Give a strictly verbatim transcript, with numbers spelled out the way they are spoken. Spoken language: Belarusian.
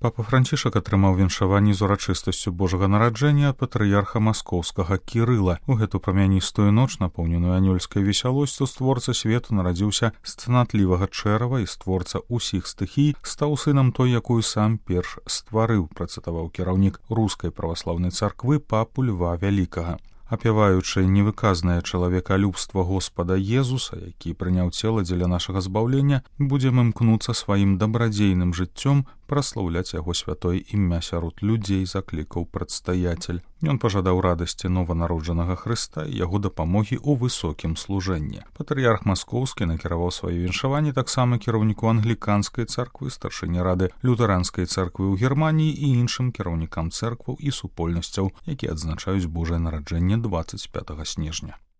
Папа Францішак атрымаў віншаванне з урачыстасцю Божага нараджэння ад патрыярха маскоўскага Кірыла. У гэту прамяністую ноч, напоўненую анёльскай весялосцю, створца свету нарадзіўся з цнатлівага чэрава і створца ўсіх стыхій стаў сынам той, якую сам перш стварыў, працытаваў кіраўнік рускай праваслаўнай царквы папу Льва Вялікага. Апяваючы невыказнае чалавекалюбства Господа Езуса, які прыняў цела дзеля нашага збаўлення, будзем імкнуцца сваім дабрадзейным жыццём праслаўляць яго святое імя сярод людзей, заклікаў прадстаятель. Ён пажадаў радасці нованароджанага Хрыста і яго дапамогі ў высокім служэнні. Патрыярх маскоўскі накіраваў сваё віншаванне таксама кіраўніку англіканскай царквы, старшыні рады лютэранскай царквы ў Германіі і іншым кіраўнікам цэркваў і супольнасцяў, якія адзначаюць Божае нараджэнне дваццаць пятага снежня.